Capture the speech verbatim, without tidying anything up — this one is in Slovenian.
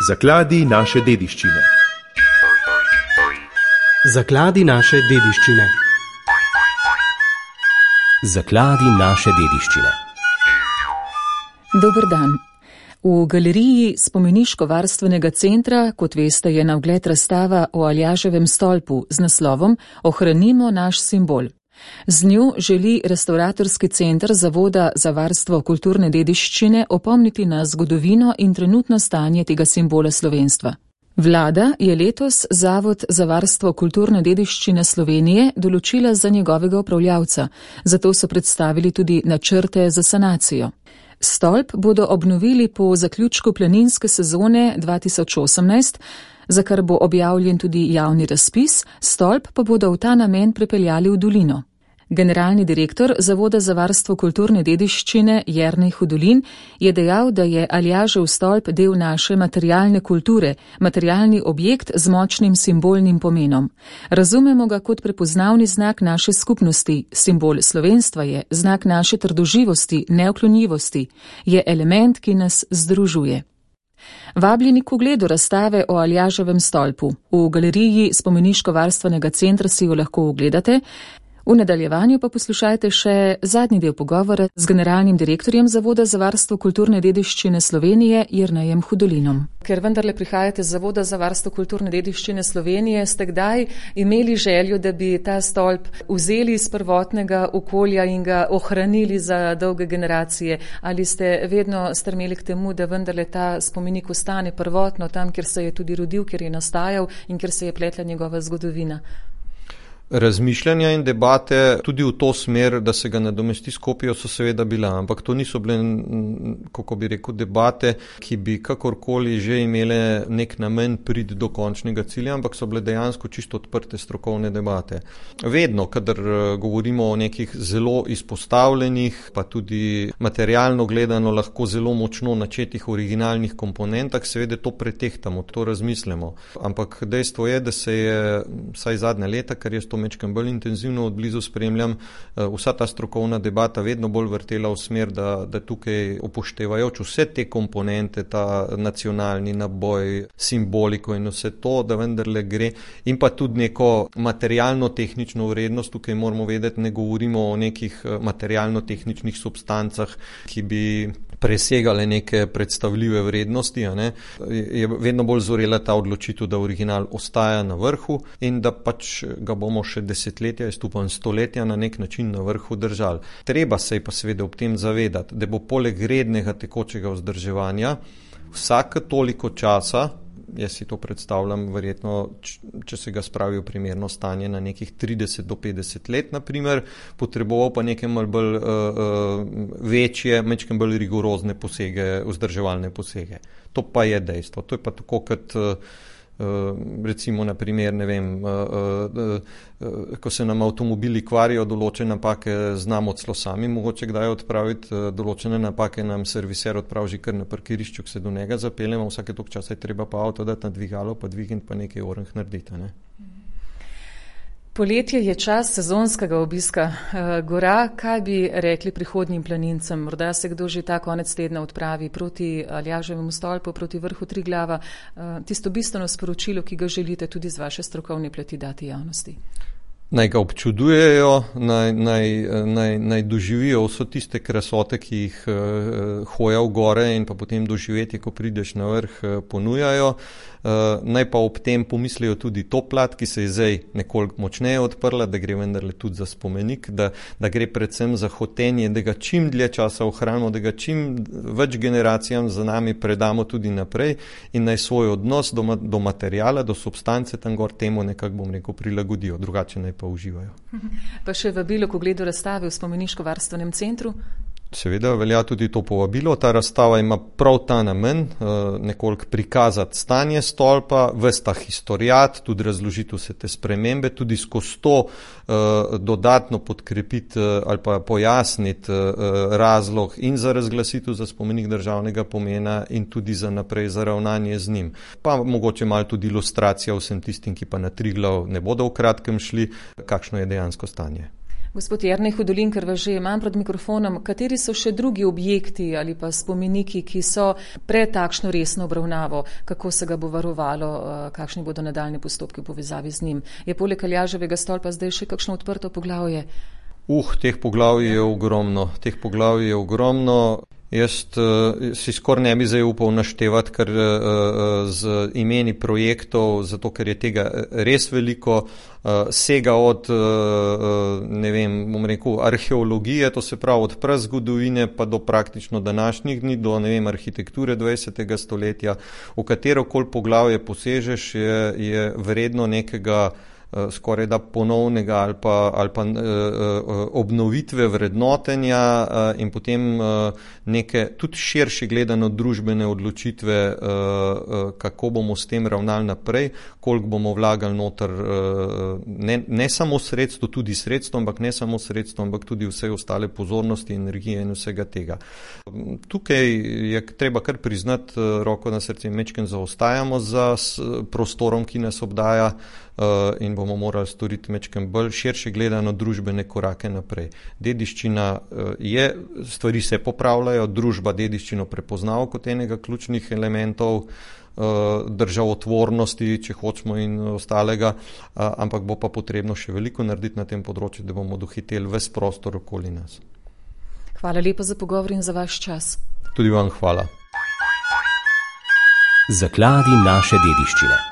Zakladi naše dediščine. Zakladi naše dediščine. Zakladi naše dediščine. Dober dan. V galeriji Spomeniško-varstvenega centra, kot veste, je na ogled razstava o Aljaževem stolpu z naslovom Ohranimo naš simbol. Z njo želi Restavratorski center Zavoda za varstvo kulturne dediščine opomniti na zgodovino in trenutno stanje tega simbola slovenstva. Vlada je letos Zavod za varstvo kulturne dediščine Slovenije določila za njegovega upravljavca, zato so predstavili tudi načrte za sanacijo. Stolp bodo obnovili po zaključku planinske sezone dva tisoč osemnajst, za kar bo objavljen tudi javni razpis, stolp pa bodo v ta namen prepeljali v dolino. Generalni direktor Zavoda za varstvo kulturne dediščine Jernej Hudolin je dejal, da je Aljažev stolp del naše materialne kulture, materialni objekt z močnim simbolnim pomenom. Razumemo ga kot prepoznavni znak naše skupnosti, simbol slovenstva je, znak naše trdoživosti, neoklonljivosti, je element, ki nas združuje. Vabljeni k ogledu razstave o Aljaževem stolpu. V galeriji Spomeniško-varstvenega centra si jo lahko ogledate. V nadaljevanju pa poslušajte še zadnji del pogovora z generalnim direktorjem Zavoda za varstvo kulturne dediščine Slovenije Jernejem Hudolinom. Ker vendarle prihajate z Zavoda za varstvo kulturne dediščine Slovenije, ste kdaj imeli željo, da bi ta stolp vzeli iz prvotnega okolja in ga ohranili za dolge generacije? Ali ste vedno strmeli k temu, da vendarle ta spomenik ostane prvotno tam, kjer se je tudi rodil, kjer je nastajal in kjer se je pletla njegova zgodovina? Razmišljanja in debate tudi v to smer, da se ga nadomesti s kopijo, so seveda bila, ampak to niso bile, kako bi rekel, debate, ki bi kakorkoli že imele nek namen priti do končnega cilja, ampak so bile dejansko čisto odprte strokovne debate. Vedno, kadar govorimo o nekih zelo izpostavljenih, pa tudi materialno gledano lahko zelo močno načetih originalnih komponentah, seveda to pretehtamo, to razmislimo. Ampak dejstvo je, da se je vsaj zadnja leta, kar je to mečkam bolj intenzivno od blizu spremljam, vsa ta strokovna debata vedno bolj vrtela v smer, da, da tukaj upoštevajoč vse te komponente, ta nacionalni naboj, simboliko in vse to, da vendarle gre in pa tudi neko materialno-tehnično vrednost, tukaj moramo vedeti, ne govorimo o nekih materialno-tehničnih substancah, ki bi presegale neke predstavljive vrednosti, a ne, je vedno bolj zorela ta odločitev, da original ostaja na vrhu in da pač ga bomo še desetletja, jaz upam stoletja na nek način na vrhu držali. Treba se je pa seveda ob tem zavedati, da bo poleg rednega tekočega vzdrževanja vsake toliko časa, jaz si to predstavljam verjetno, če se ga spravi v primerno stanje na nekih trideset do petdeset let, na primer, potreboval pa nekaj malo bolj uh, uh, večje, nekaj bolj rigorozne posege, vzdrževalne posege. To pa je dejstvo. To je pa tako, kot uh, recimo na primer, ne vem, ko se nam avtomobili kvarijo, določene napake znamo celo sami mogoče kdaj odpraviti, določene napake nam serviser odpravi že kar na parkirišču, ko se do njega zapeljemo, vsake toliko časa je treba pa avto dati na dvigalo, pa dvigniti pa nekaj orang narediti, ne. Poletje je čas sezonskega obiska gora. Kaj bi rekli prihodnjim planincem? Morda se kdo že ta konec tedna odpravi proti Aljaževemu stolpu, proti vrhu Triglava. Tisto bistveno sporočilo, ki ga želite tudi z vaše strokovne plati dati javnosti. Naj ga občudujejo, naj, naj, naj, naj doživijo vso tiste krasote, ki jih uh, hoja v gore in pa potem doživetje, ko prideš na vrh, uh, ponujajo. Uh, naj pa ob tem pomislijo tudi to plat, ki se je zdaj nekoliko močneje odprla, da gre vendarle tudi za spomenik, da, da gre predvsem za hotenje, da ga čim dlje časa ohranimo, da ga čim več generacijam za nami predamo tudi naprej in naj svoj odnos do, do materijala, do substance tam gor temu nekako, bom rekel, prilagodijo, drugače naj pa uživajo. Pa še vabilo k ogledu razstave v Spomeniško-varstvenem centru? Seveda velja tudi to povabilo. Ta razstava ima prav ta namen, nekoliko prikazati stanje stolpa, ves ta historiat, tudi razložiti vse te spremembe, tudi skozi to dodatno podkrepiti ali pa pojasniti razlog in za razglasitev za spomenik državnega pomena in tudi za naprej za ravnanje z njim. Pa mogoče malo tudi ilustracija vsem tistim, ki pa na Triglav ne bodo v kratkem šli, kakšno je dejansko stanje. Gospod Jernej Hudolin, ker vas že imam pred mikrofonom, kateri so še drugi objekti ali pa spomeniki, ki so pred takšno resno obravnavo, kako se ga bo varovalo, kakšni bodo nadaljni postopki v povezavi z njim? Je poleg Aljaževega stolpa zdaj še kakšno odprto poglavje? Uh, teh poglavij je ogromno, teh poglavij je ogromno. Jaz uh, si skoraj ne bi zdaj upal naštevati, ker uh, z imeni projektov, zato ker je tega res veliko, uh, sega od, uh, ne vem, bom rekel, arheologije, to se pravi od prazgodovine pa do praktično današnjih dni, do, ne vem, arhitekture dvajsetega stoletja. V katerokoli poglavje posežeš, je, je vredno nekega skoraj da ponovnega ali pa, ali pa uh, obnovitve vrednotenja uh, in potem uh, neke tudi širše gledano družbene odločitve, uh, uh, kako bomo s tem ravnali naprej, koliko bomo vlagali noter, uh, ne, ne samo sredstvo, tudi sredstvo, ampak ne samo sredstvo, ampak tudi vse ostale pozornosti, energije in vsega tega. Tukaj je treba kar priznati, uh, roko na srce, mečken zaostajamo za s, prostorom, ki nas obdaja, uh, in bomo morali storiti mečken bolj širše gledano družbene korake naprej. Dediščina je, stvari se popravljajo, družba dediščino prepoznava kot enega ključnih elementov državotvornosti, če hočemo, in ostalega, ampak bo pa potrebno še veliko narediti na tem področju, da bomo dohiteli ves prostor okoli nas. Hvala lepa za pogovor in za vaš čas. Tudi vam hvala. Zakladi naše dediščine.